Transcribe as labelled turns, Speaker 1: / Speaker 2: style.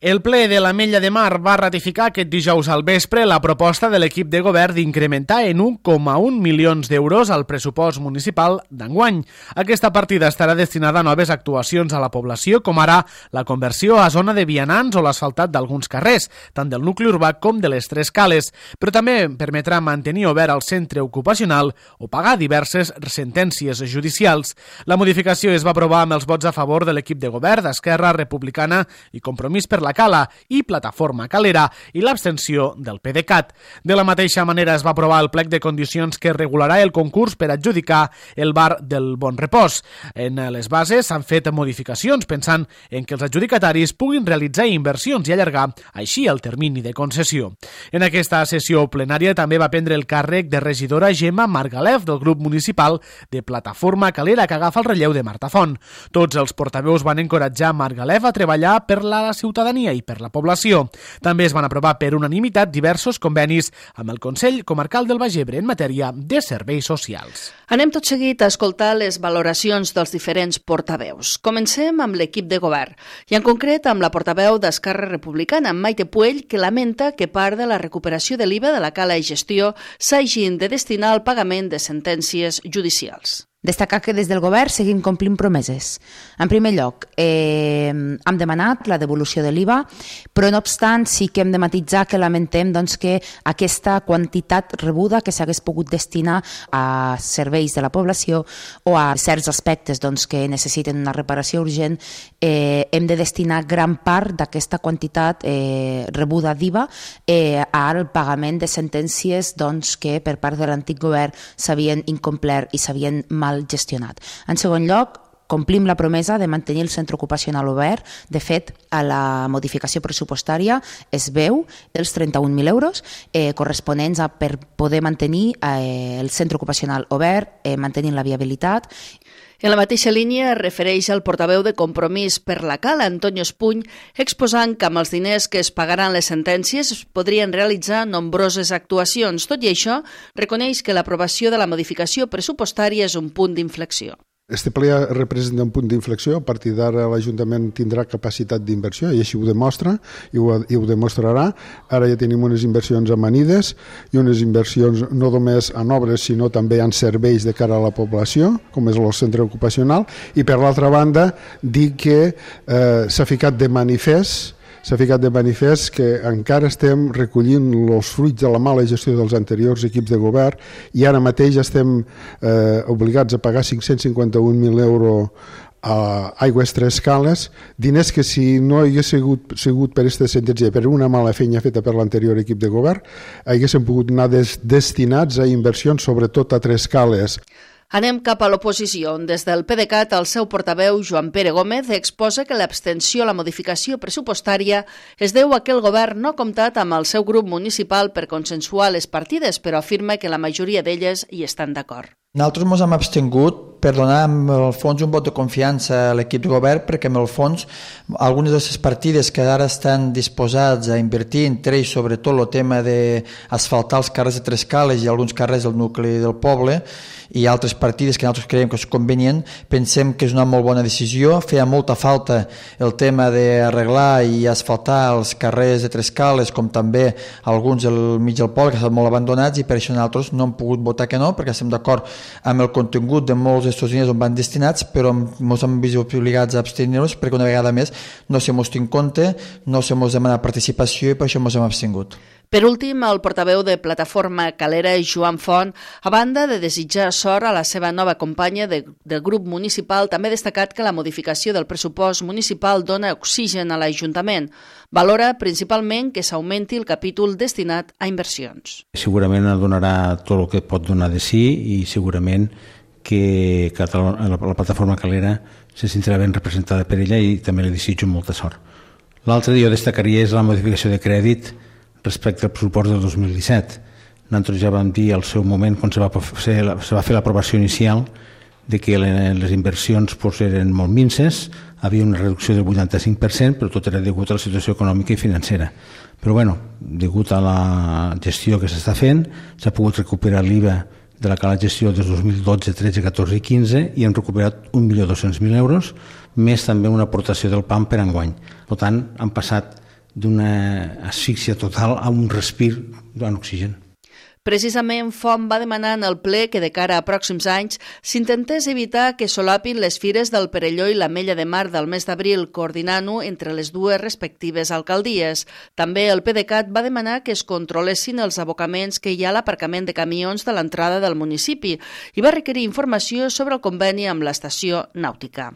Speaker 1: El ple de l'Ametlla de Mar va ratificar aquest dijous al vespre la proposta de l'equip de govern d'incrementar en 1,1 milions d'euros el pressupost municipal d'enguany. Aquesta partida estarà destinada a noves actuacions a la població, com ara la conversió a zona de vianants o l'asfaltat d'alguns carrers, tant del nucli urbà com de les Tres Cales, però també permetrà mantenir obert el centre ocupacional o pagar diverses sentències judicials. La modificació es va aprovar amb els vots a favor de l'equip de govern d'Esquerra Republicana i Compromís per la Cala i Plataforma Calera i l'abstenció del PDeCAT. De la mateixa manera es va aprovar el plec de condicions que regularà el concurs per adjudicar el bar del Bon Repòs. En les bases s'han fet modificacions pensant en que els adjudicataris puguin realitzar inversions i allargar així el termini de concessió. En aquesta sessió plenària també va prendre el càrrec de regidora Gemma Margalef del grup municipal de Plataforma Calera, que agafa el relleu de Marta Font. Tots els portaveus van encoratjar Margalef a treballar per la ciutadania i per la població. També es van aprovar per unanimitat diversos convenis amb el Consell Comarcal del Baix Ebre en matèria de serveis socials.
Speaker 2: Anem tot seguit a escoltar les valoracions dels diferents portaveus. Comencem amb l'equip de govern i en concret amb la portaveu d'Esquerra Republicana, Maite Puell, que lamenta que part de la recuperació de l'IVA de la cala i gestió s'hagin de destinar al pagament de sentències judicials.
Speaker 3: Destacar que des del govern seguim complint promeses. En primer lloc, hem demanat la devolució de l'IVA, però no obstant sí que hem de matisar que lamentem que aquesta quantitat rebuda que s'hagués pogut destinar a serveis de la població o a certs aspectes que necessiten una reparació urgent, hem de destinar gran part d'aquesta quantitat rebuda d'IVA al pagament de sentències que per part de l'antic govern s'havien incomplert i s'havien mal gestionat. En segon lloc, complim la promesa de mantenir el centre ocupacional obert. De fet, a la modificació pressupostària es veu els 31.000 euros corresponents a per poder mantenir el centre ocupacional obert, mantenint la viabilitat.
Speaker 2: En la mateixa línia es refereix al portaveu de Compromís per la Cala, Antonio Espuny, exposant que amb els diners que es pagaran les sentències es podrien realitzar nombroses actuacions. Tot i això, reconeix que l'aprovació de la modificació pressupostària és un punt d'inflexió.
Speaker 4: Este ple representa un punt d'inflexió. A partir d'ara l'Ajuntament tindrà capacitat d'inversió i així ho demostra i ho demostrarà. Ara ja tenim unes inversions amanides i unes inversions no només en obres sinó també en serveis de cara a la població, com és el centre ocupacional, i per l'altra banda dir que s'ha ficat de manifest que encara estem recollint els fruits de la mala gestió dels anteriors equips de govern i ara mateix estem obligats a pagar 551.000 euros a Aigües Tres Cales, diners que si no hagués sigut per aquesta sentència, per una mala feina feta per l'anterior equip de govern, haguessin pogut anar destinats a inversions, sobretot a Tres Cales.
Speaker 2: Anem cap a l'oposició, on des del PDeCAT el seu portaveu, Joan Pere Gómez, exposa que l'abstenció a la modificació pressupostària es deu a que el govern no ha comptat amb el seu grup municipal per consensuar les partides, però afirma que la majoria d'elles hi estan d'acord.
Speaker 5: Nosaltres ens hem abstingut per donar en el fons un vot de confiança a l'equip de govern perquè en el fons algunes de les partides que ara estan disposats a invertir entre ells sobretot el tema d'asfaltar els carrers de Tres Cales i alguns carrers del nucli del poble i altres partides que nosaltres creiem que és convenient, pensem que és una molt bona decisió. Feia molta falta el tema d'arreglar i asfaltar els carrers de Tres Cales com també alguns del mig del poble que estan molt abandonats i per això nosaltres no hem pogut votar que no perquè estem d'acord amb el contingut de molts d'aquests diners on van destinats, però ens hem vist obligats a abstenir-nos perquè una vegada més no se mos té en compte, no se mos demana participació i per això ens hem abstingut.
Speaker 2: Per últim, el portaveu de Plataforma Calera, Joan Font, a banda de desitjar sort a la seva nova companya del grup municipal, també ha destacat que la modificació del pressupost municipal dona oxigen a l'Ajuntament. Valora principalment que s'augmenti el capítol destinat a inversions.
Speaker 6: Segurament donarà tot el que pot donar de si i segurament que la Plataforma Calera se sentirà ben representada per ella i també li desitjo molta sort. L'altre jo destacaria és la modificació de crèdit respecte al pressupost del 2017. Nosaltres ja vam dir al seu moment, quan se va fer l'aprovació inicial, de que les inversions eren molt minses, havia una reducció del 85%, però tot era degut a la situació econòmica i financera. Però degut a la gestió que s'està fent, s'ha pogut recuperar l'IVA de la cala gestió des 2012, 13, 14 i 15 i hem recuperat 1.200.000 euros, més també una aportació del PAM per enguany. Per tant, han passat d'una asfíxia total a un respir en oxigen.
Speaker 2: Precisament, Font va demanar en el ple que de cara a pròxims anys s'intentés evitar que solapin les fires del Perelló i l'Ametlla de Mar del mes d'abril, coordinant-ho entre les dues respectives alcaldies. També el PDeCAT va demanar que es controlessin els abocaments que hi ha a l'aparcament de camions de l'entrada del municipi i va requerir informació sobre el conveni amb l'estació nàutica.